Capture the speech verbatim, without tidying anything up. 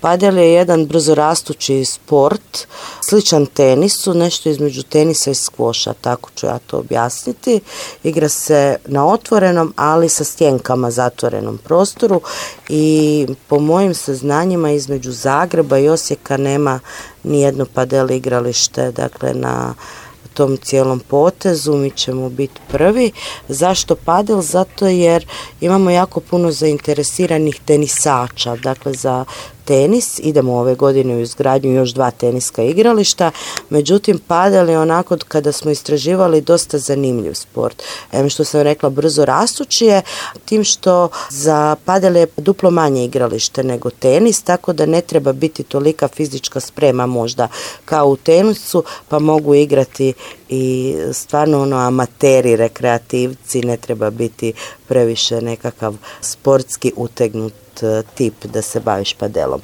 Padel je jedan brzorastući sport, sličan tenisu, nešto između tenisa i skvoša, tako ću ja to objasniti. Igra se na otvorenom, ali sa stjenkama zatvorenom prostoru i po mojim saznanjima između Zagreba i Osijeka nema nijedno padel igralište, dakle na tom cijelom potezu mi ćemo biti prvi. Zašto padel? Zato jer imamo jako puno zainteresiranih tenisača, dakle za tenis, idemo ove godine u izgradnju još dva teniska igrališta, međutim padel je onako kada smo istraživali dosta zanimljiv sport. Em što sam rekla brzo rastući je, tim što za padel je duplo manje igralište nego tenis, tako da ne treba biti tolika fizička sprema možda kao u tenisu, pa mogu igrati i stvarno ono amateri, rekreativci, ne treba biti previše nekakav sportski utegnut tip da se baviš padelom.